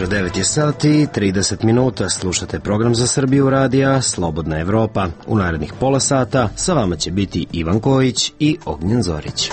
jutro, 9 je sati i 30 minuta. Slušate program za Srbiju radija Slobodna Evropa. U narednih pola sata sa vama će biti Ivan Kojić i Ognjen Zorić.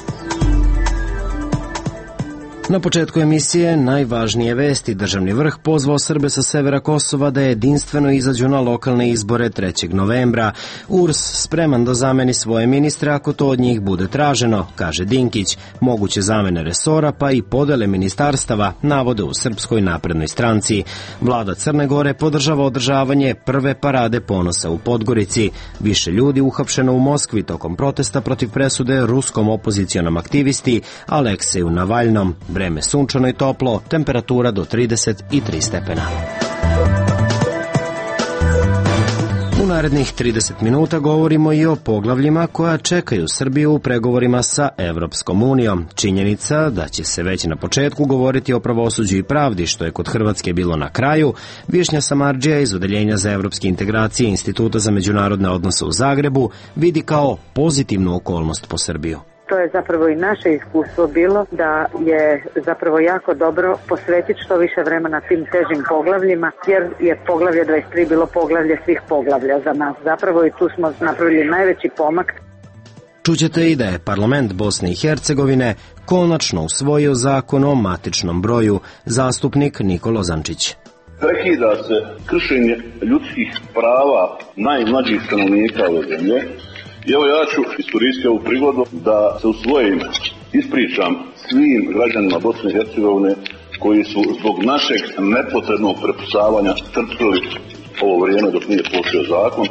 Na početku emisije najvažnije vesti. Državni vrh pozvao Srbe sa severa Kosova da jedinstveno izađu na lokalne izbore 3. novembra. URS spreman da zameni svoje ministre ako to od njih bude traženo, kaže Dinkić. Moguće zamene resora pa i podele ministarstava navode u Srpskoj naprednoj stranci. Vlada Crne Gore podržava održavanje prve parade ponosa u Podgorici. Više ljudi uhapšeno u Moskvi tokom protesta protiv presude ruskom opozicionom aktivisti Alekseju Navalnom. Vreme sunčano i toplo, temperatura do 33 stepena. U narednih 30 minuta govorimo i o poglavljima koja čekaju Srbiju u pregovorima sa Evropskom unijom. Činjenica da će se već na početku govoriti o pravosuđu i pravdi, što je kod Hrvatske bilo na kraju, Višnja Samardžija iz Odeljenja za evropske integracije Instituta za međunarodne odnose u Zagrebu vidi kao pozitivnu okolnost po Srbiju. To je zapravo i naše iskustvo bilo da je zapravo jako dobro posvetiti što više vremena tim težim poglavljima, jer je poglavlje 23 bilo poglavlje svih poglavlja za nas. Zapravo i tu smo napravili najveći pomak. Čućete i da je parlament Bosne i Hercegovine konačno usvojio zakon o matičnom broju, zastupnik Nikola Zančić. Prekida se kršenje ljudskih prava najmlađih stanovnika ove zemlje. I evo ja ću iskoristiti ovu prigodu da se u svoje ime ispričam svim građanima Bosne i Hercegovine koji su zbog našeg nepotrebnog prepucavanja trpili ovo vrijeme dok nije počeo zakon.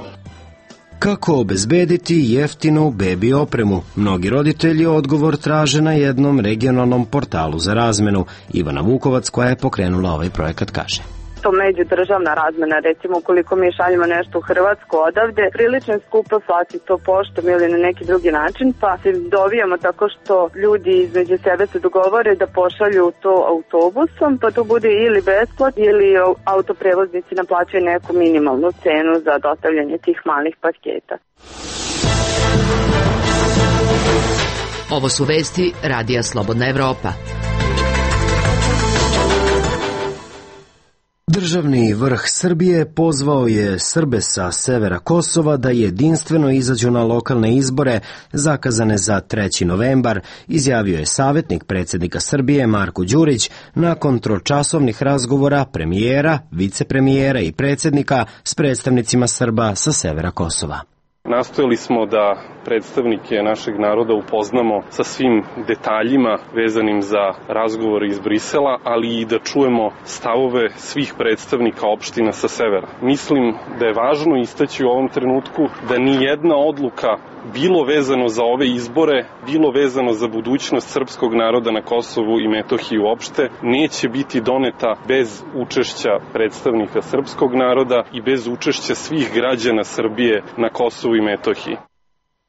Kako obezbediti jeftinu bebi opremu? Mnogi roditelji odgovor traže na jednom regionalnom portalu za razmenu. Ivana Vukovac, koja je pokrenula ovaj projekat, kaže. To međudržavna razmena, recimo ukoliko mi šaljemo nešto u Hrvatsku odavde, prilično je skupo slati to poštom ili na neki drugi način, pa se dovijamo tako što ljudi između sebe se dogovore da pošalju to autobusom, pa to bude ili besplat ili autoprevoznici naplaćaju neku minimalnu cenu za dostavljanje tih malih paketa. Ovo su vesti Radija Slobodna Evropa. Državni vrh Srbije pozvao je Srbe sa severa Kosova da jedinstveno izađu na lokalne izbore zakazane za 3. novembar, izjavio je savjetnik predsjednika Srbije Marko Đurić nakon tročasovnih razgovora premijera, vicepremijera i predsjednika s predstavnicima Srba sa severa Kosova. Nastojali smo da predstavnike našeg naroda upoznamo sa svim detaljima vezanim za razgovor iz Brisela, ali i da čujemo stavove svih predstavnika opština sa severa. Mislim da je važno istaći u ovom trenutku da ni jedna odluka, bilo vezano za ove izbore, bilo vezano za budućnost srpskog naroda na Kosovu i Metohiji uopšte, neće biti doneta bez učešća predstavnika srpskog naroda i bez učešća svih građana Srbije na Kosovu i Metohiji.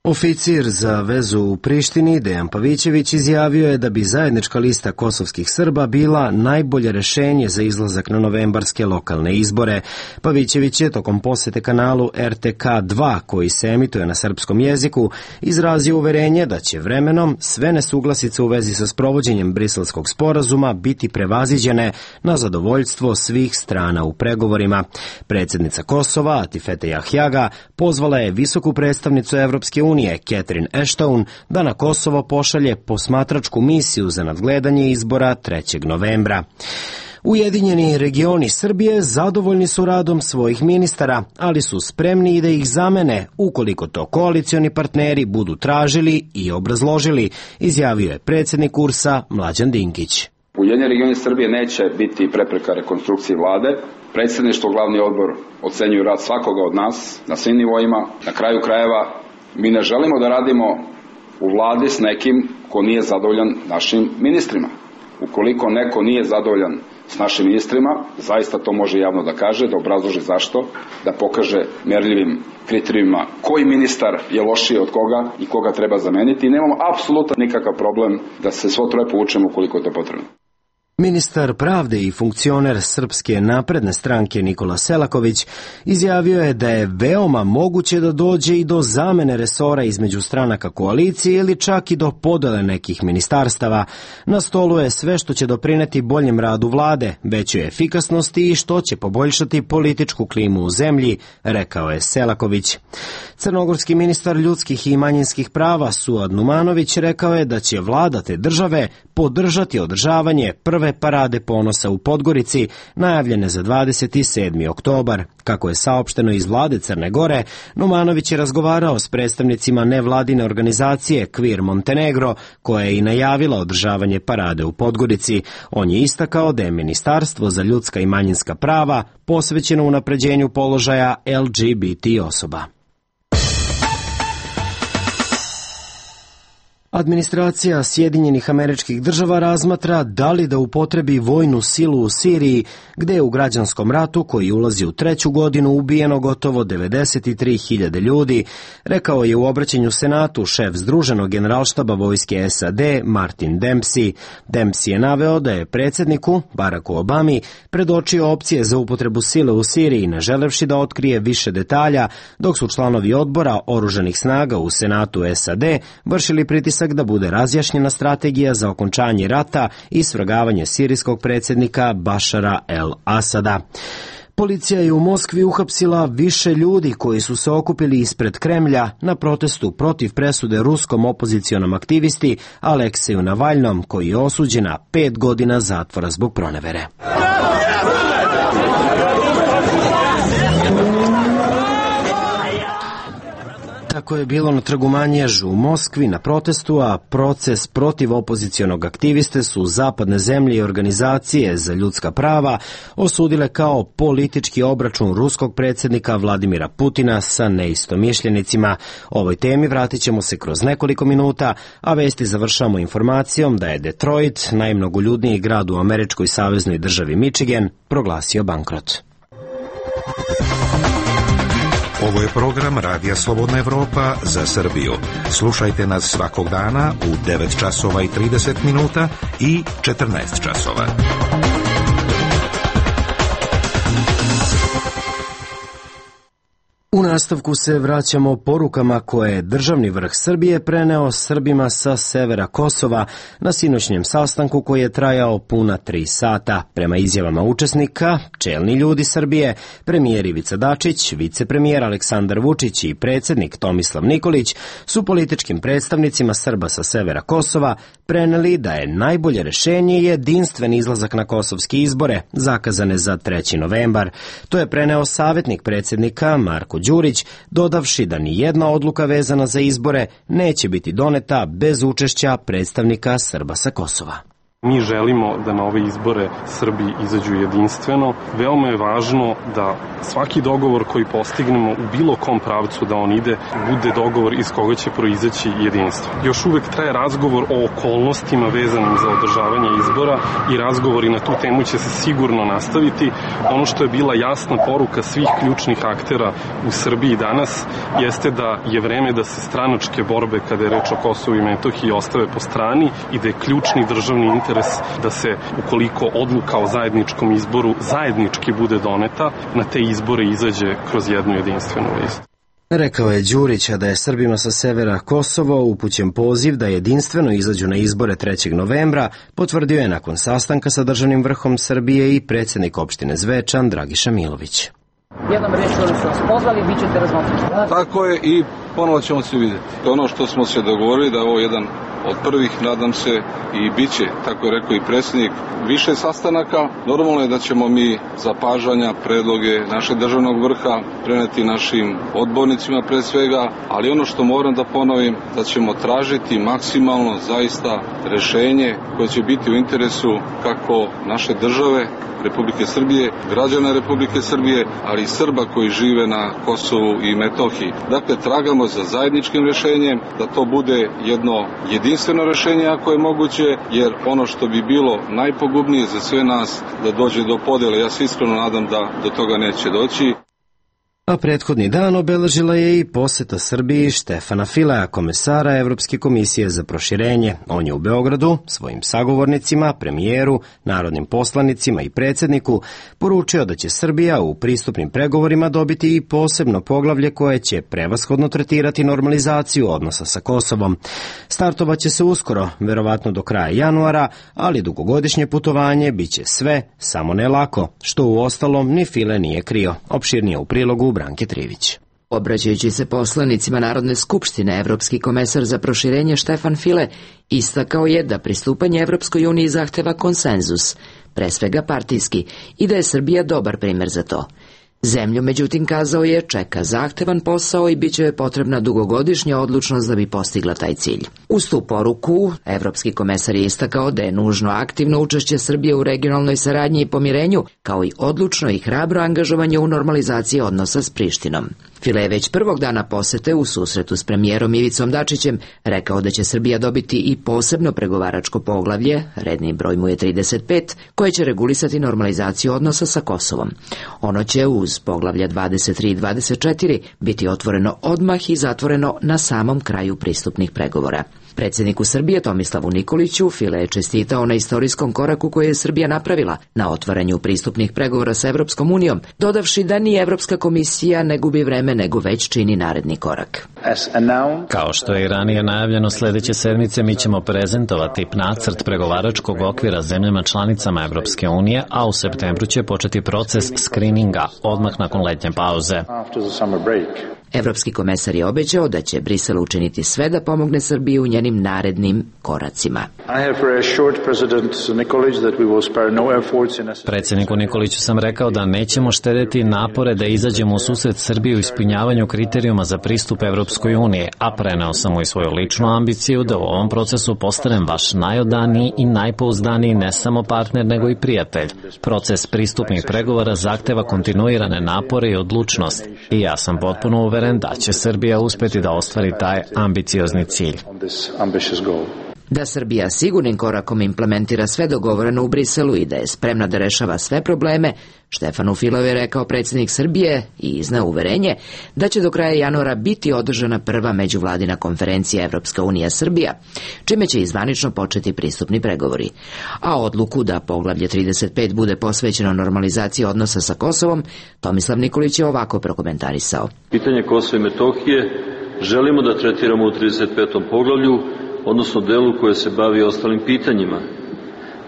Oficir za vezu u Prištini Dejan Pavićević izjavio je da bi zajednička lista kosovskih Srba bila najbolje rešenje za izlazak na novembarske lokalne izbore. Pavićević je tokom posete kanalu RTK2, koji se emituje na srpskom jeziku, izrazio uverenje da će vremenom sve nesuglasice u vezi sa sprovođenjem Briselskog sporazuma biti prevaziđene na zadovoljstvo svih strana u pregovorima. Predsjednica Kosova, Atifete Jahjaga, pozvala je visoku predstavnicu Evropske unije Catherine Ashton da na Kosovo pošalje posmatračku misiju za nadgledanje izbora 3. novembra. Ujedinjeni regioni Srbije zadovoljni su radom svojih ministara, ali su spremni i da ih zamene ukoliko to koalicioni partneri budu tražili i obrazložili, izjavio je predsjednik URS-a Mlađan Dinkić. Ujedinjeni regioni Srbije neće biti prepreka rekonstrukciji vlade. Predsjedništvo, glavni odbor ocenjuju rad svakoga od nas na svim nivoima. Na kraju krajeva, mi ne želimo da radimo u vladi s nekim ko nije zadovoljan našim ministrima. Ukoliko neko nije zadovoljan s našim ministrima, zaista to može javno da kaže, da obrazloži zašto, da pokaže merljivim kriterijima koji ministar je lošiji od koga i koga treba zameniti. I nemamo apsolutno nikakav problem da se svo troje povučemo ukoliko je to potrebno. Ministar pravde i funkcioner Srpske napredne stranke Nikola Selaković izjavio je da je veoma moguće da dođe i do zamene resora između stranaka koalicije ili čak i do podele nekih ministarstava. Na stolu je sve što će doprineti boljem radu vlade, većoj efikasnosti i što će poboljšati političku klimu u zemlji, rekao je Selaković. Crnogorski ministar ljudskih i manjinskih prava Suad Numanović rekao je da će vlada te države podržati održavanje prve parade ponosa u Podgorici, najavljene za 27. oktobar. Kako je saopšteno iz vlade Crne Gore, Numanović je razgovarao s predstavnicima nevladine organizacije Queer Montenegro, koja je i najavila održavanje parade u Podgorici. On je istakao da je Ministarstvo za ljudska i manjinska prava posvećeno unapređenju položaja LGBT osoba. Administracija Sjedinjenih Američkih Država razmatra da li da upotrebi vojnu silu u Siriji, gde je u građanskom ratu, koji ulazi u 3. godinu, ubijeno gotovo 93.000 ljudi, rekao je u obraćanju Senatu šef Združenog generalštaba vojske SAD Martin Dempsey. Dempsey je naveo da je predsjedniku Baracku Obami predočio opcije za upotrebu sile u Siriji, ne želevši da otkrije više detalja, dok su članovi odbora oružanih snaga u Senatu SAD vršili pritisak da bude razjašnjena strategija za okončanje rata i svrgavanje sirijskog predsjednika Bašara el-Asada. Policija je u Moskvi uhapsila više ljudi koji su se okupili ispred Kremlja na protestu protiv presude ruskom opozicionom aktivisti Alekseju Navalnom, koji je osuđen na 5 godina zatvora zbog pronevere. Tako je bilo na trgu Manježu u Moskvi na protestu, a proces protiv opozicionog aktiviste su zapadne zemlje i organizacije za ljudska prava osudile kao politički obračun ruskog predsjednika Vladimira Putina sa neistomišljenicima. Ovoj temi vratit ćemo se kroz nekoliko minuta, a vesti završamo informacijom da je Detroit, najmnogoljudniji grad u američkoj saveznoj državi Michigan, proglasio bankrot. Ovo je program Radija Slobodna Evropa za Srbiju. Slušajte nas svakog dana u 9 časova i 30 minuta i 14 časova. U nastavku se vraćamo porukama koje je državni vrh Srbije preneo Srbima sa severa Kosova na sinoćnjem sastanku koji je trajao puna 3 sata. Prema izjavama učesnika, čelni ljudi Srbije, premijer Ivica Dačić, vicepremijer Aleksandar Vučić i predsjednik Tomislav Nikolić su političkim predstavnicima Srba sa severa Kosova preneli da je najbolje rešenje jedinstven izlazak na kosovske izbore, zakazane za 3. novembar. To je preneo savjetnik predsjednika Marko Đurić, dodavši da ni jedna odluka vezana za izbore neće biti doneta bez učešća predstavnika Srba sa Kosova. Mi želimo da na ove izbore Srbi izađu jedinstveno. Veoma je važno da svaki dogovor koji postignemo u bilo kom pravcu da on ide, bude dogovor iz koga će proizaći jedinstvo. Još uvek traje razgovor o okolnostima vezanim za održavanje izbora i razgovori na tu temu će se sigurno nastaviti. Ono što je bila jasna poruka svih ključnih aktera u Srbiji danas jeste da je vreme da se stranačke borbe kada je reč o Kosovu i Metohiji ostave po strani i da je ključni državni interes da se, ukoliko odluka o zajedničkom izboru zajednički bude doneta, na te izbore izađe kroz jednu jedinstvenu listu. Rekao je Đurić da je Srbima sa severa Kosova upućen poziv da jedinstveno izađu na izbore 3. novembra, potvrdio je nakon sastanka sa državnim vrhom Srbije i predsjednik opštine Zvečan Dragiša Milović. Jednom rečju su vas pozvali, vi ćete razmotriti. Tako je i ponovo ćemo se vidjeti. Ono što smo se dogovorili da je ovo jedan od prvih, nadam se, i bit će, tako je rekao i predsjednik, više sastanaka. Normalno je da ćemo mi zapažanja, predloge našeg državnog vrha preneti našim odbornicima pre svega, ali ono što moram da ponovim, da ćemo tražiti maksimalno zaista rešenje koje će biti u interesu kako naše države, Republike Srbije, građana Republike Srbije, ali i Srba koji žive na Kosovu i Metohiji. Dakle, tragamo za zajedničkim rešenjem, da to bude jedno jedinstveno rešenje ako je moguće, jer ono što bi bilo najpogubnije za sve nas da dođe do podele, ja se iskreno nadam da do toga neće doći. A prethodni dan obeležila je i poseta Srbiji Štefana Filea, komesara Evropske komisije za proširenje. On je u Beogradu svojim sagovornicima, premijeru, narodnim poslanicima i predsjedniku poručio da će Srbija u pristupnim pregovorima dobiti i posebno poglavlje koje će prevashodno tretirati normalizaciju odnosa sa Kosovom. Startovaće se uskoro, verovatno do kraja januara, ali dugogodišnje putovanje biće sve, samo ne lako, što u ostalom ni File nije krio. Opširnije u prilogu Branke Trivić. Obraćajući se poslanicima Narodne skupštine, Evropski komesar za proširenje Štefan File istakao je da pristupanje Evropskoj uniji zahteva konsenzus, pre svega partijski, i da je Srbija dobar primer za to. Zemlju, međutim, kazao je, čeka zahtevan posao i bit će joj potrebna dugogodišnja odlučnost da bi postigla taj cilj. Uz tu poruku, Evropski komesar je istakao da je nužno aktivno učešće Srbije u regionalnoj saradnji i pomirenju, kao i odlučno i hrabro angažovanje u normalizaciji odnosa s Prištinom. File je već prvog dana posete u susretu s premijerom Ivicom Dačićem rekao da će Srbija dobiti i posebno pregovaračko poglavlje, redni broj mu je 35, koje će regulisati normalizaciju odnosa sa Kosovom. Ono će uz poglavlja 23 i 24 biti otvoreno odmah i zatvoreno na samom kraju pristupnih pregovora. Predsjedniku Srbije Tomislavu Nikoliću File je čestitao na istorijskom koraku koji je Srbija napravila na otvaranju pristupnih pregovora sa Evropskom unijom, dodavši da ni Evropska komisija ne gubi vreme nego već čini naredni korak. Kao što je i ranije najavljeno, sljedeće sedmice mi ćemo prezentovati nacrt pregovaračkog okvira zemljama članicama Evropske unije, a u septembru će početi proces skrininga odmah nakon letnje pauze. Evropski komesar je obećao da će Brisel učiniti sve da pomogne Srbiji u njenim narednim koracima. Predsjedniku Nikoliću sam rekao da nećemo štedjeti napore da izađemo u susret Srbiji u ispunjavanju kriterijuma za pristup Evropskoj uniji, a preneo sam mu i svoju ličnu ambiciju da u ovom procesu postanem vaš najodaniji i najpouzdaniji ne samo partner nego i prijatelj. Proces pristupnih pregovora zahteva kontinuirane napore i odlučnost i ja sam potpuno uveren da će Srbija uspjeti da ostvari taj ambiciozni cilj. Da Srbija sigurnim korakom implementira sve dogovoreno u Briselu i da je spremna da rešava sve probleme, Štefanu Fileu je rekao predsjednik Srbije i izneo uverenje da će do kraja januara biti održana prva međuvladina konferencija Evropska unija Srbija, čime će izvanično početi pristupni pregovori. A odluku da poglavlje 35 bude posvećeno normalizaciji odnosa sa Kosovom, Tomislav Nikolić je ovako prokomentarisao. Pitanje Kosova i Metohije želimo da tretiramo u 35. poglavlju, odnosno delu koje se bavi ostalim pitanjima.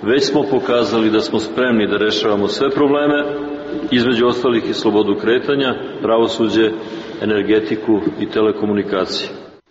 Već smo pokazali da smo spremni da rešavamo sve probleme, između ostalih i slobodu kretanja, pravosuđe, energetiku i telekomunikacije.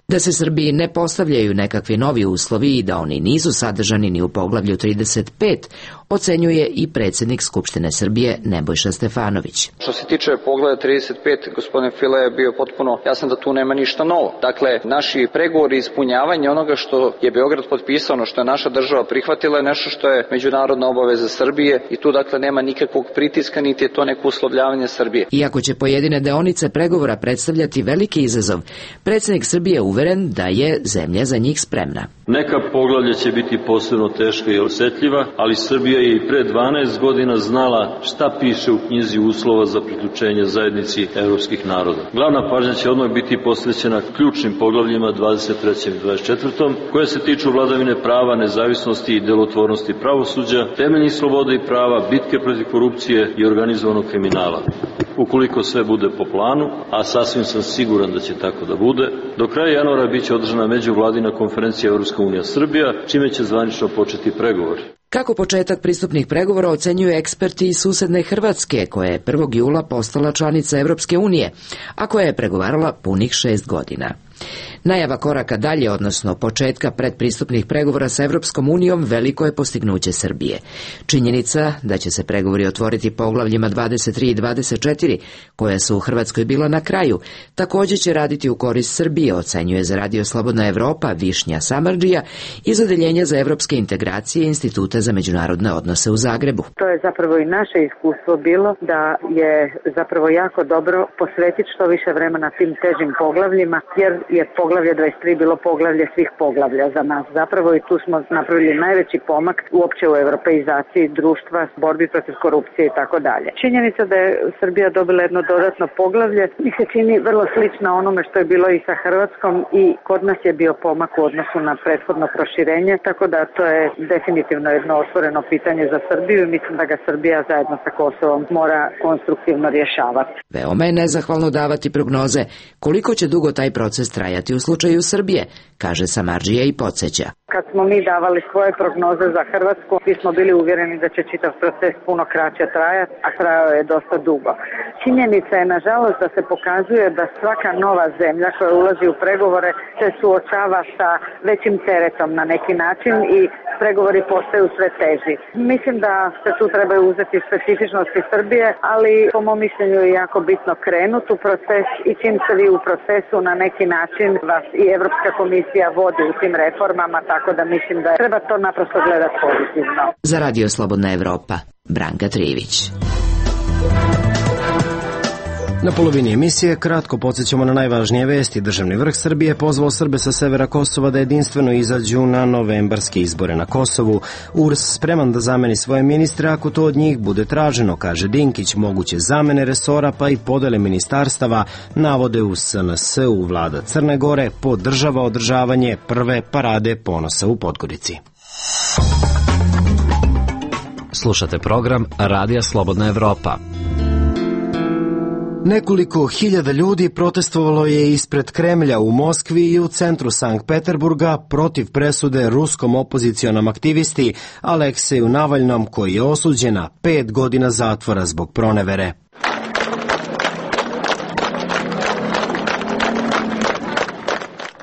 Da se Srbiji ne postavljaju nekakvi novi uslovi i da oni nisu sadržani ni u poglavlju 35, ocenjuje i predsjednik Skupštine Srbije Nebojša Stefanović. Što se tiče poglavlja 35, gospodin File je bio potpuno jasan da tu nema ništa novo. Dakle, naši pregovori i ispunjavanje onoga što je Beograd potpisao, ono što je naša država prihvatila, je nešto što je međunarodna obaveza Srbije i tu dakle nema nikakvog pritiska niti je to neko uslovljavanje Srbije. Iako će pojedine deonice pregovora predstavljati veliki izazov, predsjednik Srbije uveren da je zemlja za njih spremna. Neka poglavlja će biti posebno teška i osjetljiva, ali Srbija je i pre 12 godina znala šta piše u knjizi uslova za priključenje zajednici evropskih naroda. Glavna pažnja će odmah biti posvećena ključnim poglavljima 23. i 24. koje se tiču vladavine prava, nezavisnosti i delotvornosti pravosuđa, temeljnih sloboda i prava, bitke protiv korupcije i organizovanog kriminala. Ukoliko sve bude po planu, a sasvim sam siguran da će tako da bude, do kraja januara biće održana međuvladina konferencija Evropska unija Srbija, čime će zvanično početi pregovori. Kako početak pristupnih pregovora ocenjuju eksperti iz susedne Hrvatske, koja je 1. jula postala članica Evropske unije, a koja je pregovarala punih 6 godina. Najava koraka dalje, odnosno početka predpristupnih pregovora sa Evropskom unijom, veliko je postignuće Srbije. Činjenica da će se pregovori otvoriti poglavljima 23 i 24, koja su u Hrvatskoj bila na kraju, također će raditi u korist Srbije, ocenjuje za Radio Slobodna Evropa Višnja Samardžija iz Odeljenja za evropske integracije Instituta za međunarodne odnose u Zagrebu. To je zapravo i naše iskustvo bilo da je zapravo jako dobro posvetiti što više vremena tim težim poglavljima, jer je poglavlje 23 bilo poglavlje svih poglavlja za nas zapravo i tu smo napravili najveći pomak uopće u europeizaciji društva, borbi protiv korupcije i tako dalje. Činjenica da je Srbija dobila jedno dodatno poglavlje mi se čini vrlo slično onome što je bilo i sa Hrvatskom i kod nas je bio pomak u odnosu na prethodno proširenje, tako da to je definitivno jedno otvoreno pitanje za Srbiju i mislim da ga Srbija zajedno sa Kosovom mora konstruktivno rješavati. Veoma je nezahvalno davati prognoze koliko će dugo taj proces trajati u slučaju Srbije, kaže Samardžija i podsjeća. Kad smo mi davali svoje prognoze za Hrvatsku, mi smo bili uvjereni da će čitav proces puno kraće trajati, a trajao je dosta dugo. Činjenica je nažalost da se pokazuje da svaka nova zemlja koja ulazi u pregovore se suočava sa većim teretom na neki način i pregovori postaju sve teži. Mislim da se tu trebaju uzeti specifičnosti Srbije, ali po mom mišljenju je jako bitno krenuti u proces i čim se vi u procesu na neki način vas i Europska komisija vodi u tim reformama, tako da mislim da treba to naprosto gledati pozitivno. Za Radio Slobodna Evropa, Branka Trivić. Na polovini emisije kratko podsjećamo na najvažnije vesti. Državni vrh Srbije pozvao Srbe sa severa Kosova da jedinstveno izađu na novembarske izbore na Kosovu. URS spreman da zameni svoje ministre ako to od njih bude traženo, kaže Dinkić. Moguće zamene resora pa i podele ministarstava navode u SNS-u. Vlada Crne Gore podržava održavanje prve parade ponosa u Podgorici. Slušate program Radija Slobodna Evropa. Nekoliko hiljada ljudi protestovalo je ispred Kremlja u Moskvi i u centru Sankt Peterburga protiv presude ruskom opozicionom aktivisti Alekseju Navalnom, koji je osuđen na 5 godina zatvora zbog pronevere.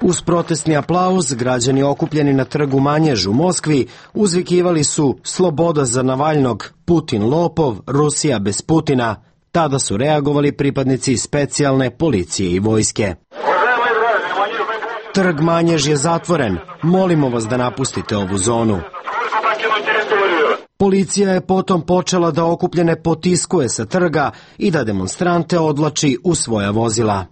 Uz protestni aplauz, građani okupljeni na trgu Manjež u Moskvi uzvikivali su "Sloboda za Navalnog, Putin lopov, Rusija bez Putina". Tada su reagovali pripadnici specijalne policije i vojske. Trg Manjež je zatvoren. Molimo vas da napustite ovu zonu. Policija je potom počela da okupljene potiskuje sa trga i da demonstrante odvlači u svoja vozila.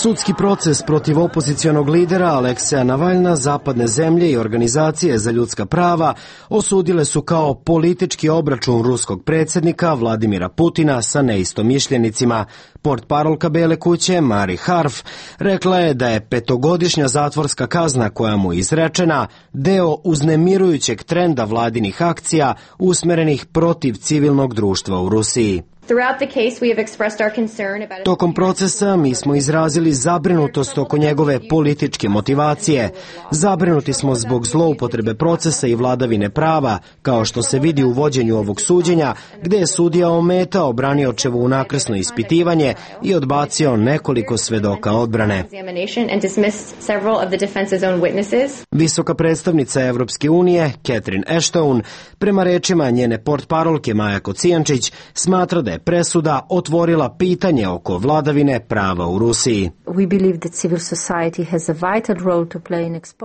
Sudski proces protiv opozicionog lidera Alekseja Navalna zapadne zemlje i organizacije za ljudska prava osudile su kao politički obračun ruskog predsjednika Vladimira Putina sa neistomišljenicima. Portparolka Bele kuće Mari Harf rekla je da je 5-godišnja zatvorska kazna koja mu je izrečena deo uznemirujućeg trenda vladinih akcija usmerenih protiv civilnog društva u Rusiji. Tokom procesa mi smo izrazili zabrinutost oko njegove političke motivacije. Zabrinuti smo zbog zloupotrebe procesa i vladavine prava, kao što se vidi u vođenju ovog suđenja, gde je sudija ometao braniočevo unakrsno ispitivanje i odbacio nekoliko svedoka odbrane. Visoka predstavnica Evropske unije, Catherine Ashton, prema rečima njene portparolke Maja Kocijančić, smatra da je presuda otvorila pitanje oko vladavine prava u Rusiji.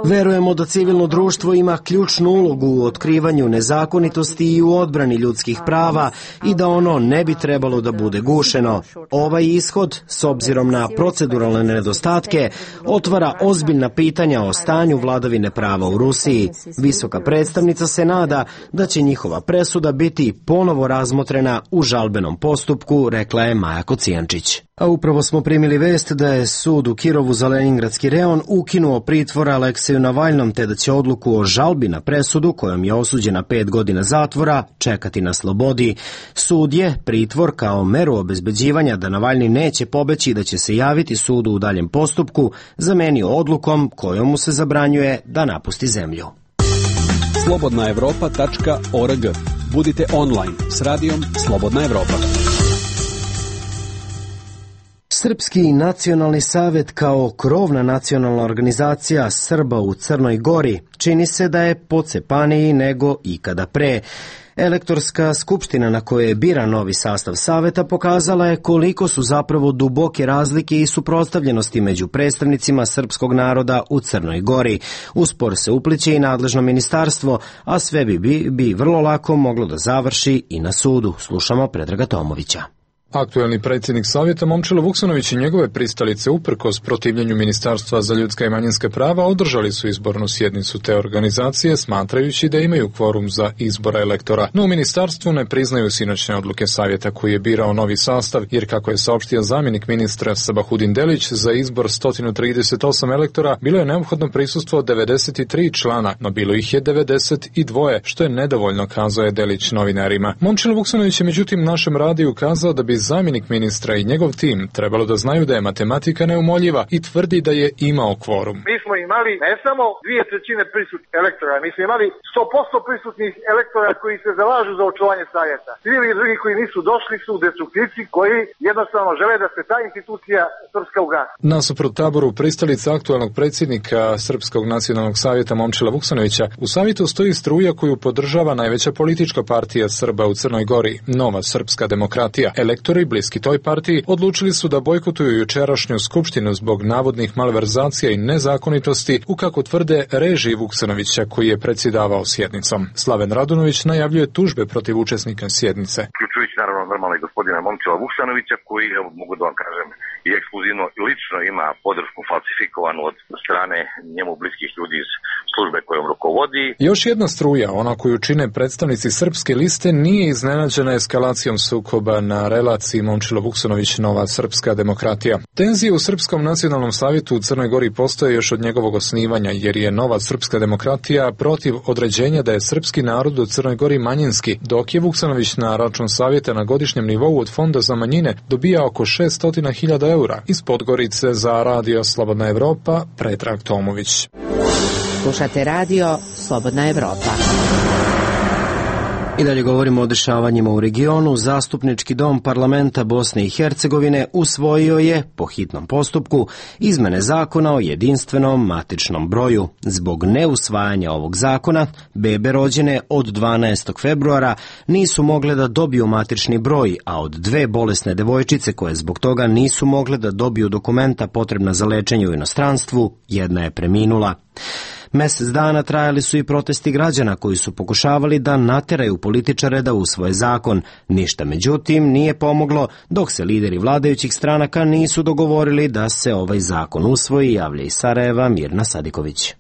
Verujemo da civilno društvo ima ključnu ulogu u otkrivanju nezakonitosti i u odbrani ljudskih prava i da ono ne bi trebalo da bude gušeno. Ovaj ishod, s obzirom na proceduralne nedostatke, otvara ozbiljna pitanja o stanju vladavine prava u Rusiji. Visoka predstavnica se nada da će njihova presuda biti ponovo razmotrena u žalbenom postupku, rekla je Maja Kocijančić. A upravo smo primili vest da je sud u Kirovu za Leningradski reon ukinuo pritvor Alekseju Navalnom, te da će odluku o žalbi na presudu, kojom je osuđen na 5 godina zatvora, čekati na slobodi. Sud je pritvor kao meru obezbeđivanja da Navalni neće pobeći i da će se javiti sudu u daljem postupku zamenio odlukom kojom mu se zabranjuje da napusti zemlju. slobodnaevropa.org. Budite online s radijom Slobodna Evropa. Srpski nacionalni savjet kao krovna nacionalna organizacija Srba u Crnoj Gori čini se da je pocepaniji nego ikada pre. Elektorska skupština na kojoj je biran novi sastav saveta pokazala je koliko su zapravo duboke razlike i suprotstavljenosti među predstavnicima srpskog naroda u Crnoj Gori. U spor se upliće i nadležno ministarstvo, a sve bi vrlo lako moglo da završi i na sudu. Slušamo Predraga Tomovića. Aktuelni predsjednik Savjeta Momčilo Vuksanović i njegove pristalice uprkos protivljenju Ministarstva za ljudska i manjinska prava održali su izbornu sjednicu te organizacije smatrajući da imaju kvorum za izbor elektora. No u ministarstvu ne priznaju sinoćne odluke Savjeta koji je birao novi sastav jer kako je saopštio zamjenik ministra Sabahudin Delić za izbor 138 elektora bilo je neophodno prisustvo 93 člana, no bilo ih je 92, što je nedovoljno, kazao je Delić novinarima. Momčilo Vuksanović je međutim našem radiju kazao da bi zamjenik ministra i njegov tim trebalo da znaju da je matematika neumoljiva i tvrdi da je imao kvorum. Mi smo imali ne samo 2/3 prisutnih elektora, mi smo imali 100% prisutnih elektora koji se zalažu za očuvanje Savjeta. Svi i drugi koji nisu došli su destruktivci koji jednostavno žele da se ta institucija srpska ugasi. Nasuprot taboru pristalica aktualnog predsjednika Srpskog nacionalnog savjeta Momčila Vuksanovića, u savjetu stoji struja koju podržava najveća politička partija Srba u Crnoj Gori, Nova srpska demokratija. Elektori bliski toj partiji odlučili su da bojkotuju jučerašnju skupštinu zbog navodnih malverzacija i nezakonitosti u, kako tvrde, režiji Vuksanovića koji je predsjedavao sjednicom. Slaven Radunović najavljuje tužbe protiv učesnika sjednice. Uključujući naravno normalno i gospodina Momčila Vuksanovića koji, evo, mogu da vam kažem, i ekskluzivno i lično ima podršku falsifikovanu od strane njemu bliskih ljudi iz službe kojom rukovodi. Još jedna struja, ona koju čine predstavnici Srpske liste, nije iznenađena eskalacijom sukoba na relaciji Momčilo Vuksanović Nova srpska demokratija. Tenzije u Srpskom nacionalnom savjetu u Crnoj Gori postoje još od njegovog osnivanja, jer je Nova srpska demokratija protiv određenja da je srpski narod u Crnoj Gori manjinski, dok je Vuksanović na račun savjeta na godišnjem nivou od Fonda za manjine dobija oko 600.000 eura. Iz Podgorice za Radio Slobodna Evropa, Predrag Tomović. Slušate Radio Slobodna Evropa. I dalje govorimo o dešavanjima u regionu. Zastupnički dom parlamenta Bosne i Hercegovine usvojio je, po hitnom postupku, izmene zakona o jedinstvenom matičnom broju. Zbog neusvajanja ovog zakona, bebe rođene od 12. februara nisu mogle da dobiju matični broj, a od 2 bolesne devojčice koje zbog toga nisu mogle da dobiju dokumenta potrebna za lečenje u inostranstvu, jedna je preminula. Mesec dana trajali su i protesti građana koji su pokušavali da nateraju političare da usvoje zakon. Ništa međutim nije pomoglo dok se lideri vladajućih stranaka nisu dogovorili da se ovaj zakon usvoji, javlja iz Sarajeva Mirna Sadiković.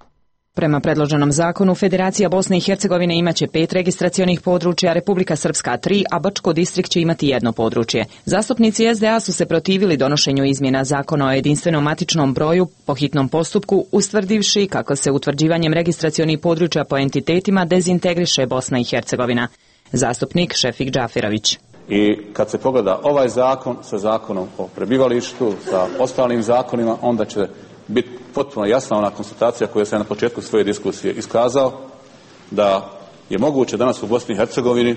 Prema predloženom zakonu, Federacija Bosne i Hercegovine imaće 5 registracionih područja, Republika Srpska 3, a Bačko distrikt će imati 1 područje. Zastupnici SDA su se protivili donošenju izmjena zakona o jedinstvenom matičnom broju po hitnom postupku, ustvrdivši kako se utvrđivanjem registracionih područja po entitetima dezintegriše Bosna i Hercegovina. Zastupnik Šefik Džafirović. I kad se pogleda ovaj zakon sa zakonom o prebivalištu, sa ostalim zakonima, onda će biti potpuno jasna ona konstatacija koju sam na početku svoje diskusije iskazao, da je moguće danas u Bosni i Hercegovini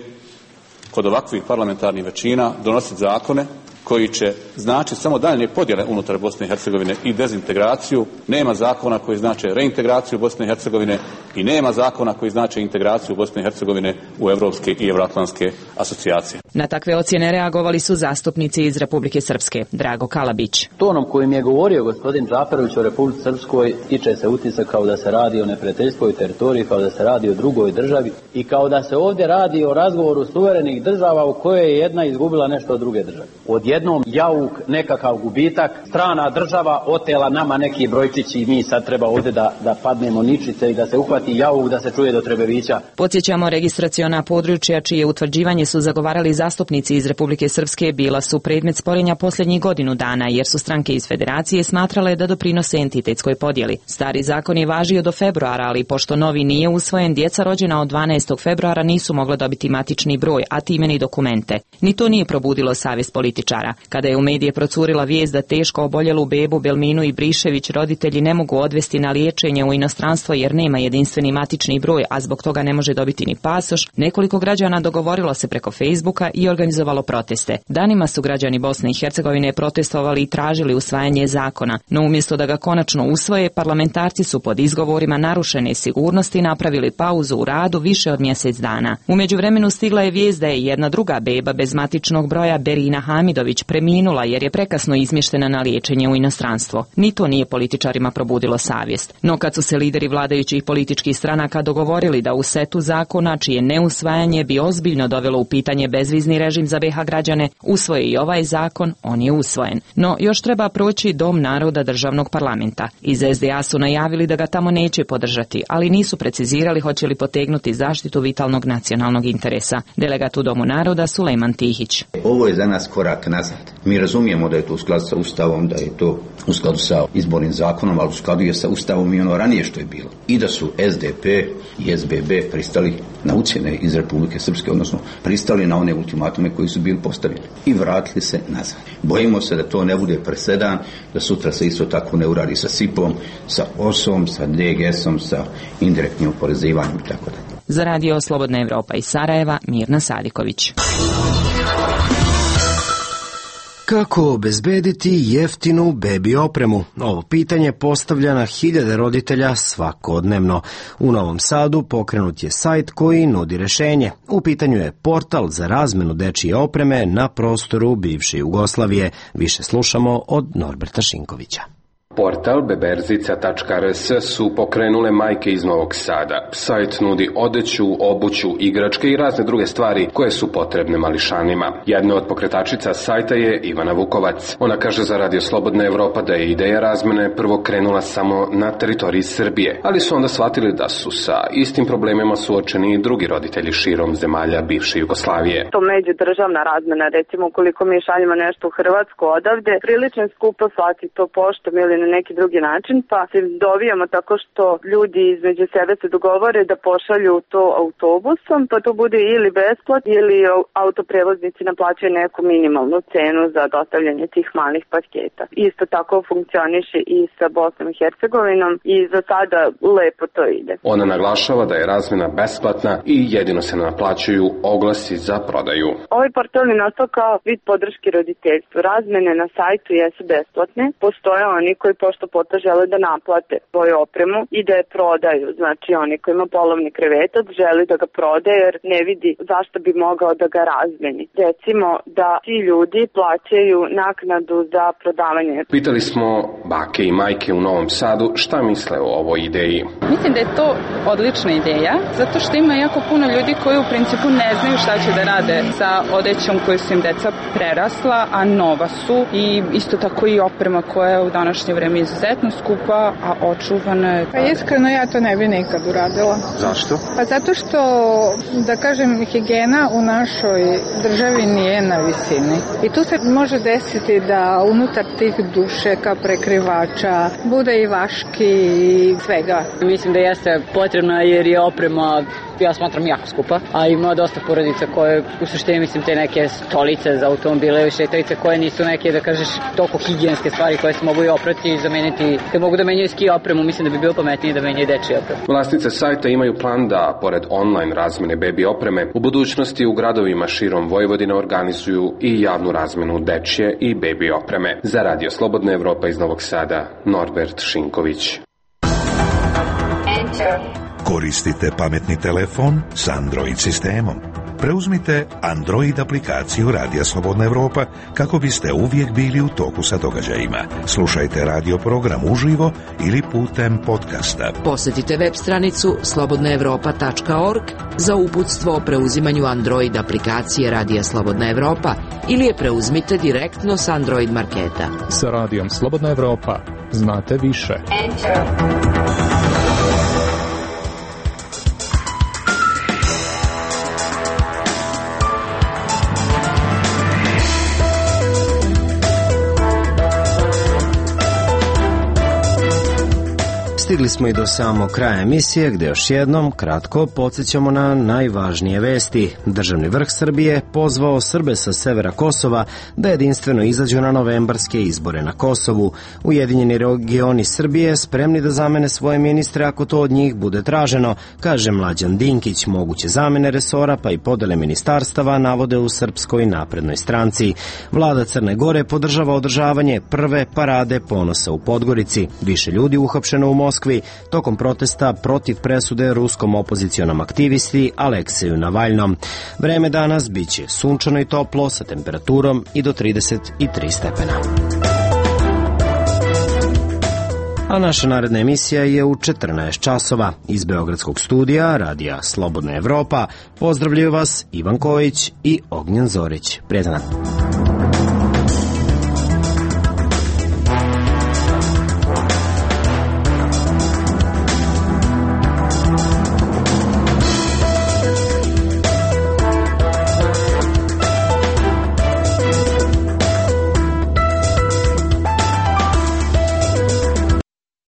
kod ovakvih parlamentarnih većina donositi zakone koji će značiti samo daljnje podjele unutar Bosne i Hercegovine i dezintegraciju. Nema zakona koji znače reintegraciju Bosne i Hercegovine i nema zakona koji znače integraciju Bosne i Hercegovine u evropske i evroatlantske asocijacije. Na takve ocjene reagovali su zastupnici iz Republike Srpske. Drago Kalabić. Tonom kojim je govorio gospodin Džaferović o Republici Srpskoj tiče se utisak kao da se radi o neprijateljskoj teritoriji, kao da se radi o drugoj državi i kao da se ovdje radi o razgovoru suverenih država u kojoj je jedna izgubila nešto od druge države. Odjednom jauk, nekakav gubitak, strana država otela nama neki brojčići i mi sad treba ovdje da padnemo ničice i da se uhvati jauk, da se čuje do Trebevića. Podsjećamo, registraciona područja čije utvrđivanje su zagovarali zastupnici iz Republike Srpske bila su predmet sporenja posljednjih godinu dana, jer su stranke iz Federacije smatrale da doprinose entitetskoj podjeli. Stari zakon je važio do februara, ali pošto novi nije usvojen, djeca rođena od 12. februara nisu mogla dobiti matični broj, a time ni dokumente. Ni to nije probudilo savjest političara. Kada je u medije procurila vijest da teško oboljelu bebu Belminu i Brišević roditelji ne mogu odvesti na liječenje u inostranstvo jer nema jedinstveni matični broj, a zbog toga ne može dobiti ni pasoš, nekoliko građana dogovorilo se preko Facebooka i organizovalo proteste. Danima su građani Bosne i Hercegovine protestovali i tražili usvajanje zakona, no umjesto da ga konačno usvoje, parlamentarci su pod izgovorima narušene sigurnosti napravili pauzu u radu više od mjesec dana. U međuvremenu stigla je vijest da je jedna druga beba bez matičnog broja, Berina Hamidović, Mihajlović preminula jer je prekasno izmještena na liječenje u inostranstvo. Ni to nije političarima probudilo savjest. No kad su se lideri vladajućih političkih stranaka dogovorili da u setu zakona čije neusvajanje bi ozbiljno dovelo u pitanje bezvizni režim za BiH građane, usvoje i ovaj zakon, on je usvojen. No još treba proći Dom naroda državnog parlamenta. Iz SDA su najavili da ga tamo neće podržati, ali nisu precizirali hoće li potegnuti zaštitu vitalnog nacionalnog interesa. Delegat u Domu naroda Sulejman Tihić. Ovo je za nas korak nazad. Mi razumijemo da je to u skladu sa Ustavom, da je to u skladu sa izbornim zakonom, ali u skladu je sa Ustavom i ono ranije što je bilo. I da su SDP i SBB pristali na ucjene iz Republike Srpske, odnosno pristali na one ultimatume koji su bili postavljeni i vratili se nazad. Bojimo se da to ne bude presedan, da sutra se isto tako ne uradi sa SIP-om, sa OS-om, sa DGS-om, sa indirektnim oporezivanjem i tako dalje. Za radio Slobodna Evropa iz Sarajeva, Mirna Sadiković. Kako obezbediti jeftinu bebi opremu? Ovo pitanje postavlja na hiljade roditelja svakodnevno. U Novom Sadu pokrenut je sajt koji nudi rješenje. U pitanju je portal za razmenu dečije opreme na prostoru bivše Jugoslavije. Više slušamo od Norberta Šinkovića. Portal beberzica.rs su pokrenule majke iz Novog Sada. Sajt nudi odeću, obuću, igračke i razne druge stvari koje su potrebne mališanima. Jedna od pokretačica sajta je Ivana Vukovac. Ona kaže za Radio Slobodna Evropa da je ideja razmene prvo krenula samo na teritoriji Srbije, ali su onda shvatili da su sa istim problemima suočeni i drugi roditelji širom zemalja bivše Jugoslavije. To međudržavna razmena, recimo ukoliko mi šaljemo nešto u Hrvatsku odavde, prilično skupo slati to poštom ili na neki drugi način, pa se dovijamo tako što ljudi između sebe se dogovore da pošalju to autobusom, pa to bude ili besplatno ili autoprevoznici naplaćaju neku minimalnu cenu za dostavljanje tih malih paketa. Isto tako funkcioniše i sa Bosnom i Hercegovinom i za sada lepo to ide. Ona naglašava da je razmena besplatna i jedino se naplaćuju oglasi za prodaju. Ovaj portal je nastao kao vid podrške roditeljstvu. Razmene na sajtu jesu besplatne. Postoje oni koji pošto poto žele da naplate svoju opremu i da je prodaju. Znači oni koji ima polovni krevetac želi da ga prodaje jer ne vidi zašto bi mogao da ga razmeni. Recimo da ti ljudi plaćaju naknadu za prodavanje. Pitali smo bake i majke u Novom Sadu šta misle o ovoj ideji. Mislim da je to odlična ideja, zato što ima jako puno ljudi koji u principu ne znaju šta će da rade sa odećom koju su im deca prerasla, a nova su i isto tako i oprema koja je u današnje vreme izuzetno skupa, a očuvana je. Pa iskreno ja to ne bi nikad uradila. Zašto? Pa zato što, da kažem, higijena u našoj državi nije na visini. I tu se može desiti da unutar tih dušeka, prekrivača, bude i vaški i svega. Mislim da jeste potrebna jer je oprema, ja smatram, jako skupa, a ima dosta porodica koje u suštini, mislim, te neke stolice za automobile i šetalice koje nisu neke, da kažeš, toliko higijenske stvari koje se mogu i oprati i zameniti, te mogu da menjaju ski opremu, mislim da bi bilo pametnije da menjaju dečiju opremu. Vlasnice sajta imaju plan da, pored online razmene bebi opreme, u budućnosti u gradovima širom Vojvodine organizuju i javnu razmenu dečje i bebi opreme. Za Radio Slobodna Evropa iz Novog Sada, Norbert Šinković. Koristite pametni telefon s Android sistemom. Preuzmite Android aplikaciju Radija Slobodna Evropa kako biste uvijek bili u toku sa događajima. Slušajte radio program uživo ili putem podcasta. Posjetite web stranicu slobodnaevropa.org za uputstvo o preuzimanju Android aplikacije Radija Slobodna Evropa ili je preuzmite direktno s Android marketa. Sa Radijom Slobodna Evropa znate više. Stigli smo i do samog kraja emisije gdje još jednom kratko podsjećamo na najvažnije vesti. Državni vrh Srbije pozvao Srbe sa severa Kosova da jedinstveno izađu na novembarske izbore na Kosovu. Ujedinjeni regioni Srbije spremni da zamene svoje ministre ako to od njih bude traženo, kaže Mlađan Dinkić. Moguće zamene resora pa i podele ministarstava navode u Srpskoj naprednoj stranci. Vlada Crne Gore podržava održavanje prve parade ponosa u Podgorici. Više ljudi uhapšeno u Moskvi Moskvi tokom protesta protiv presude ruskom opozicionom aktivisti Alekseju Navalnom. Vreme danas biće sunčano i toplo sa temperaturom i do 33 stepena. A naša naredna emisija je u 14 časova. Iz Beogradskog studija Radija Slobodna Evropa pozdravljaju vas Ivan Kojić i Ognjen Zorić. Prijetan dan.